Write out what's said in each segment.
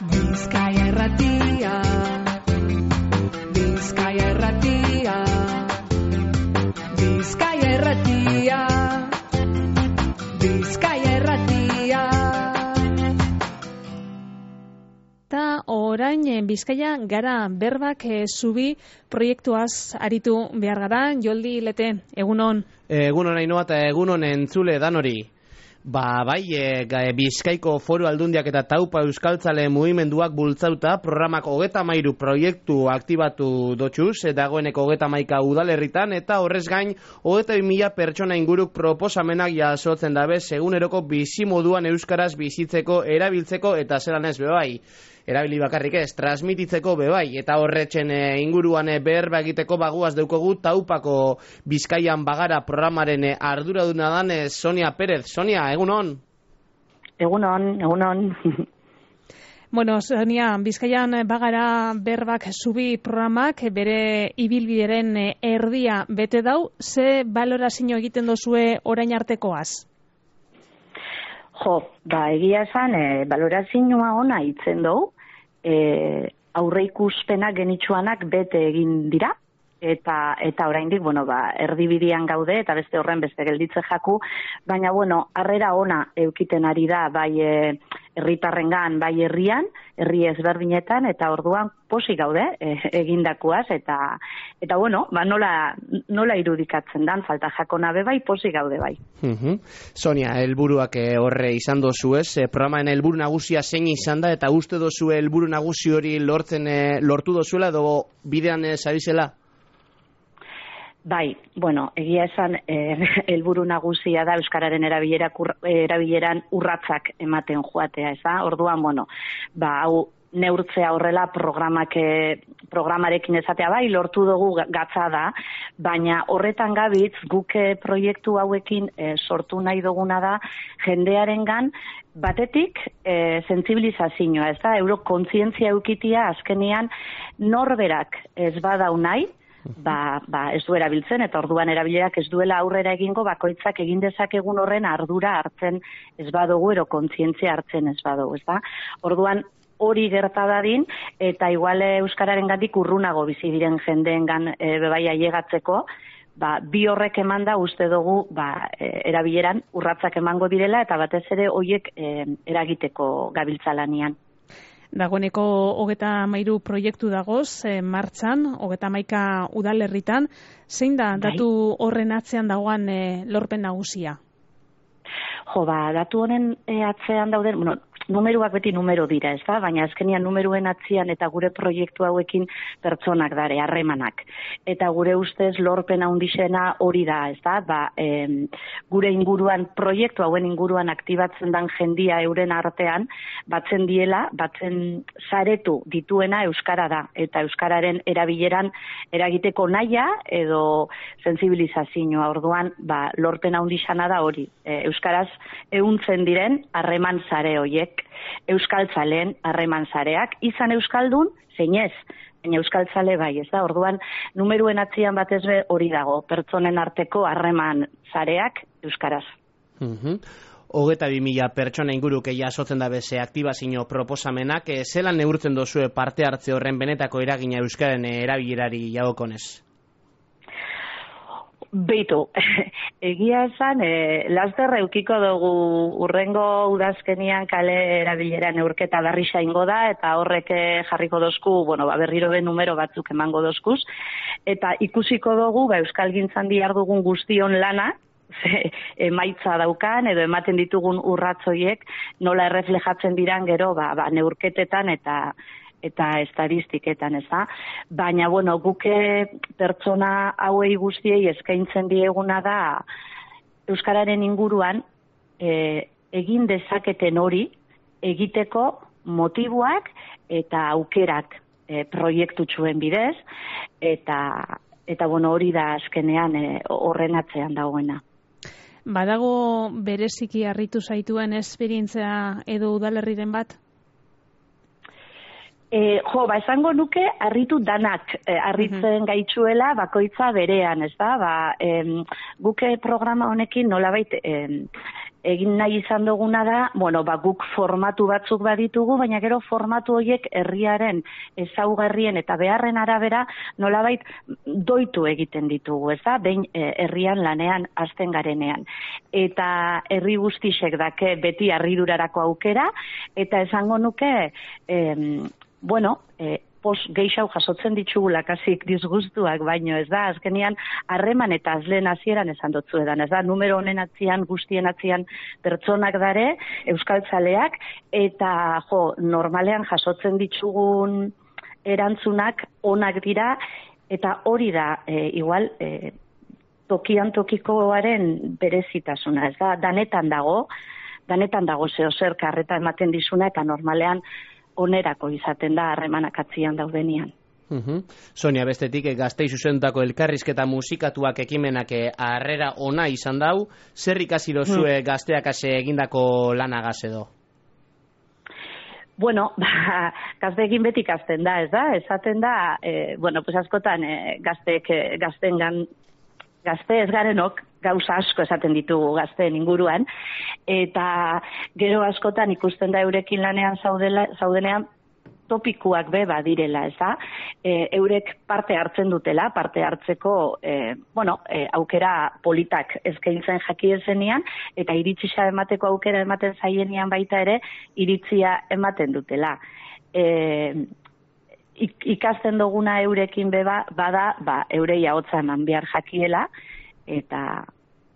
Bizkaia Irratia, Bizkaia Irratia, Bizkaia Irratia, Bizkaia Irratia. Ta orain Bizkaia gara berbak zubi proiektuaz aritu behar gara. Joldi Lete, egunon. Egunon Ainhoa eta egunon entzule danori. Bai, Bizkaiko Foru Aldundiak eta Taupa Euskaltzale mugimenduak bultzauta programak 33 proiektu aktibatu dotxuz, dagoeneko 31 udalerritan, eta horrez gain 22.000 pertsona inguruk proposamenak jasotzen dabe eguneroko bizimoduan euskaraz bizitzeko, erabiltzeko eta zelan ez bebai. Erabili bakarrik ez, transmititzeko bebai, eta horretzen inguruan berba egiteko baguaz deukogu Taupako Bizkaian Bagara programaren arduraduna dan Sonia Pérez. Sonia, egunon? Egunon. Bueno, Sonia, Bizkaian Bagara berbak zubi programak bere ibilbideren erdia bete dau, ze balorazio egiten dozue orain artekoaz? Egia esan, balorazioa ona itzen dugu, aurreikuspenak genitxuanak bete egin dira, eta oraindik, erdibidean gaude, eta beste horren beste gelditze jaku, baina, harrera ona eukiten ari da, bai herritarrengan, bai herri ezberdinetan, eta orduan posi gaude egindakoaz, eta nola irudikatzen dan, falta jakona be bai, posi gaude bai. Sonia, helburuak horre izan dozu ez, programaren helburu nagusia zein izan da, eta uste dozu helburu nagusi hori lortu dozuela, edo bidean zabizela? Bai, egia esan helburu nagusia da euskararen erabileran urratsak ematen joatea, ez da? Orduan, hau neurtzea horrela programarekin ezatea bai, lortu dugu gatza da, baina horretan gabitz guk proiektu hauekin sortu nahi duguna da jendearengan batetik sentsibilizazioa, ez da? Eurokontzientzia eukitia azkenean norberak ez badau nahi, ez du erabiltzen, eta orduan erabilerak ez duela aurrera egingo, bakoitzak egin dezakegun horren ardura hartzen ez badugu, kontzientzia hartzen ez badugu, ez da? Orduan hori gerta dadin, eta igual euskararen gandik urrunago bizi diren jendeengan bebai ailegatzeko, bi horrek eman da uste dugu erabileran urratsak emango direla, eta batez ere horiek eragiteko gabiltzalanian. Dagoeneko 33 proiektu dagoz martxan, 31 udalerritan. Zein da datu horren atzean dagoan lorpen nagusia? Datu honen atzean dauden, numeroak beti numero dira, ez da? Baina azkenian numeruen atzean eta gure proiektu hauekin pertsonak dare, harremanak. Eta gure ustez lorpen handixena hori da, ez da? Gure inguruan, proiektu hauen inguruan aktibatzen dan jendia euren artean, batzen saretu dituena euskara da. Eta euskararen erabileran eragiteko nahia edo sentsibilizazioa. Orduan, lorpen handixena da hori. Euskaraz ehuntzen diren harreman sare hoiek. Euskaltzaleen harreman sareak, izan euskaldun, zein ez, baina euskaltzale bai, ez da? Orduan, numeruen atzian batez be hori dago, pertsonen arteko harreman sareak euskaraz. 22.000 pertsona inguruk jasotzen da beze aktibazio proposamenak, zelan neurtzen dozue parte hartze horren benetako eragina euskaren erabilerari jagokonez? Beitu, egia esan, laster eukiko dugu urrengo udazkenian kale erabilera neurketa berri saingo da, eta horrek jarriko dozku, berriro be numero batzuk emango dozkuz, eta ikusiko dugu, euskalgintzan dihar dugun guztion lana, emaitza daukan, edo ematen ditugun urratzoiek, nola erreflejatzen diran gero, neurketetan eta estadistiketan, ez da? Baina, guke pertsona hauei guztiei eskaintzen dieguna da euskararen inguruan egin dezaketen hori egiteko motiboak eta aukerak proiektutxuen bidez, eta hori da azkenean horren atzean dagoena. Badago bereziki harritu zaituen esperientzia edo udalerriren bat? Esango nuke harritu danak harritzen gaitzuela bakoitza berean, ez da? Guke programa honekin nolabait egin nahi izan duguna da, guk formatu batzuk baditugu, baina gero formatu horiek herriaren ezaugarrien eta beharren arabera nolabait doitu egiten ditugu, ez da? Behin herrian lanean hasten garenean. Eta herri guztisek dake beti harridurarako aukera, eta esango nuke, geixau jasotzen ditugula kasik disgustuak baino, ez da, azkenian harreman eta azlen hasieran esan dotzu edan, ez da, numero honen atzian, guztien atzian pertsonak dare, euskaltzaleak, eta normalean jasotzen ditugun erantzunak onak dira, eta hori da, igual, tokian tokikoaren berezitasuna, ez da, danetan dago zeo zer karreta ematen dizuna, eta normalean onerako izaten da harremanak atzian daudenian. Sonia, bestetik Gaztei zuzendutako elkarrizketa musikatuak ekimenak harrera ona izan dau, zer ikasi dozue gazteak egindako lanagaz edo? Gazteekin beti ikasten da, ez da? Esaten da, askotan gazte ez garenok gauza asko esaten ditugu gazteen inguruan, eta gero askotan ikusten da eurekin lanean zaudenean topikuak badirela, ez da? Eurek parte hartzen dutela, parte hartzeko aukera politak eskaintzen jakiezenean, eta iritzia emateko aukera ematen zaienian baita ere, iritzia ematen dutela. Ikasten duguna eurekin bada, eurei ahotsa eman behar jakiela, eta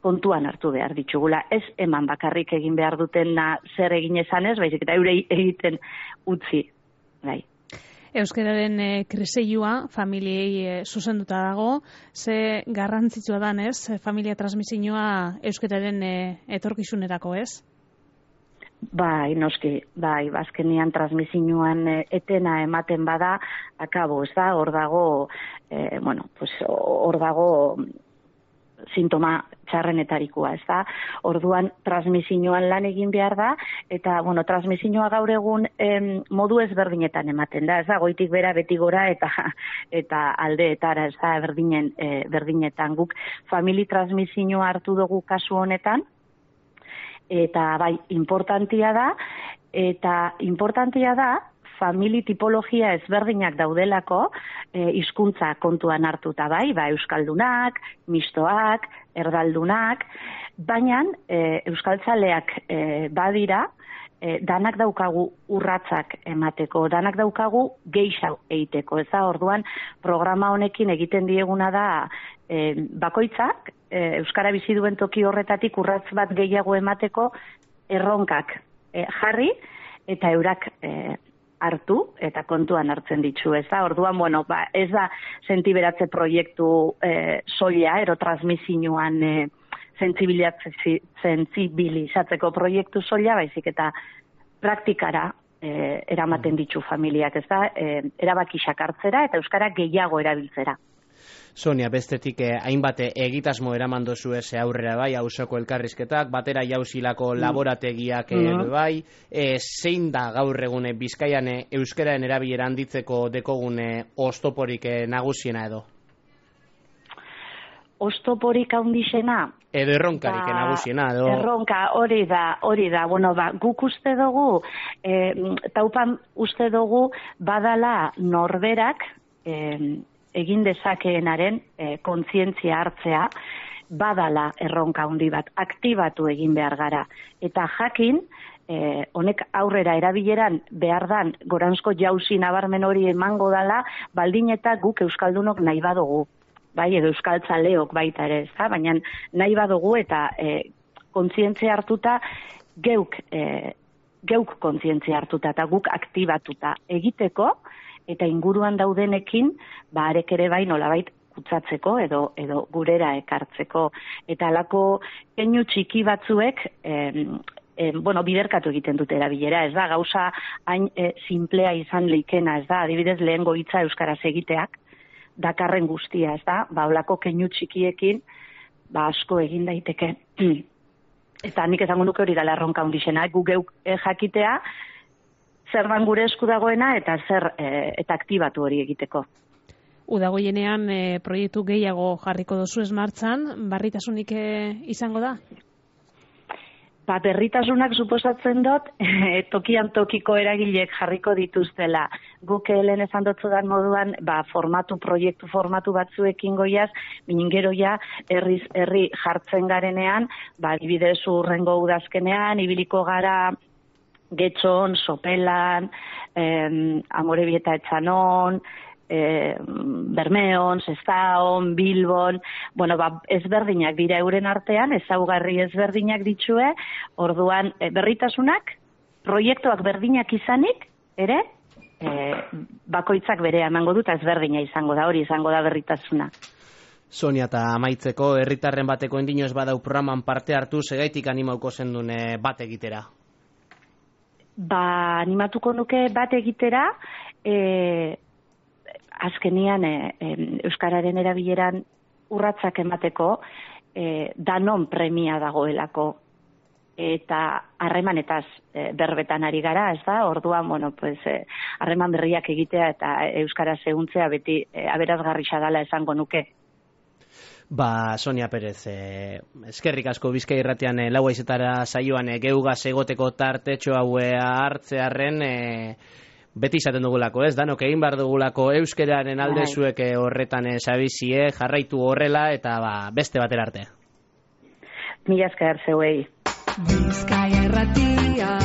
kontuan hartu behar ditugula. Ez eman bakarrik egin behar dutena zer egin esanez, baizik eta eurei egiten utzi. Bai. Euskararen kriseilua familiei zuzenduta dago, ze garrantzitsua danez, familia transmisioa euskararen etorkizunerako, ez? Bai, noski, azkenian transmisioan etena ematen bada, akabo, ez da, hor dago sintoma txarrenetarikoa, ez da? Orduan, transmisioan lan egin behar da, eta, transmisioa gaur egun modu ezberdinetan ematen da, ez da? Goitik bera, beti gora, eta aldeetara, ez da, berdinetan. Guk famili transmisioa hartu dugu kasu honetan, eta importantia da, famili tipologia ezberdinak daudelako, hizkuntza kontuan hartuta euskaldunak, mistoak, erdaldunak, baina euskaltzaleak badira, danak daukagu urratzak emateko, danak daukagu gehiago egiteko, ez da, orduan programa honekin egiten dieguna da bakoitzak, euskara bizi duen toki horretatik urratz bat gehiago emateko erronkak jarri, eta eurak hartu eta kontuan hartzen ditu, ez da? Orduan, ez da sentiberatze proiektu soila, transmisioan sentsibilizatzeko proiektu soila, baizik eta praktikara eramaten ditu familiak, ez da? Erabakiak hartzera eta euskara gehiago erabiltzera. Sonia, bestetik hainbat egitasmo eraman dozu aurrera auzoko elkarrizketak, batera jauzilako laborategiak zein da gaur egun Bizkaian euskararen erabilera handitzeko dekogune oztoporik nagusiena edo? Oztoporik handixena? Edo erronkarik nagusiena edo? Erronka, hori da. Guk uste dugu, taupan uste dugu badala norberak egin dezakeenaren kontzientzia hartzea, badala erronka handi bat, aktibatu egin behar gara. Eta jakin, honek aurrera erabileran behar dan, goranzko jauzi nabarmen hori emango dala, baldin eta guk euskaldunok nahi badugu, edo euskaltzaleok baita ere, ez da? Baina nahi badugu eta kontzientzia hartuta, geuk kontzientzia hartuta eta guk aktibatuta egiteko, eta inguruan daudenekin, arek ere nolabait kutsatzeko edo gurera ekartzeko. Eta alako keinu txiki batzuek, biderkatu egiten dute erabilera, ez da, gauza hain simplea izan leikena, ez da, adibidez lehengo hitza euskaraz egiteak, dakarren guztia, ez da, olako keinu txikiekin, asko egin daiteke. Eta nik esango nuke hori dela erronka hundixena, gu geuk jakitea, zer dan gure esku dagoena eta eta aktibatu hori egiteko. Udagoienean proiektu gehiago jarriko dozu martxan, barritasunik izango da? berritasunak suposatzen dut, tokian tokiko eragileek jarriko dituztela. Guk lehen esan dutzudan moduan, proiektu formatu batzuekin goiaz, binin gero ja, herri jartzen garenean, adibidez urrengo udazkenean, ibiliko gara Getxon, Sopelan, Amorebieta Etxanon, Bermeon, Sestaon, Bilbon, ezberdinak dira euren artean, ezaugarri ezberdinak ditue, orduan berritasunak, proiektuak berdinak izanik, ere, bakoitzak berea emango dut, ezberdina izango da, hori izango da berritasuna. Sonia, eta amaitzeko, herritarren bateko endinoz badau programan parte hartu, segaitik animauko zendun bat egitera? Animatuko nuke bat egitera, azkenian euskararen erabileran urratsak emateko danon premia dagoelako eta harremanetaz berbetan ari gara, ez da? Orduan, harreman berriak egitea eta euskara zehuntzea beti aberazgarria dela esango nuke. Sonia Perez, eskerrik asko Bizkai Irratian lau haizetara saioan geugaz egoteko tartetxo haue hartzearren beti izaten dugulako, ez? Danok egin behar dugulako euskeraren alde zuek horretan sabizie, jarraitu horrela eta beste batera arte. Mila esker zeuei. Bizkai Irratia,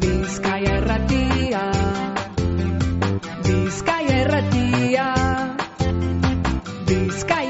Bizkai Irratia, Bizkai Irratia, Bizkai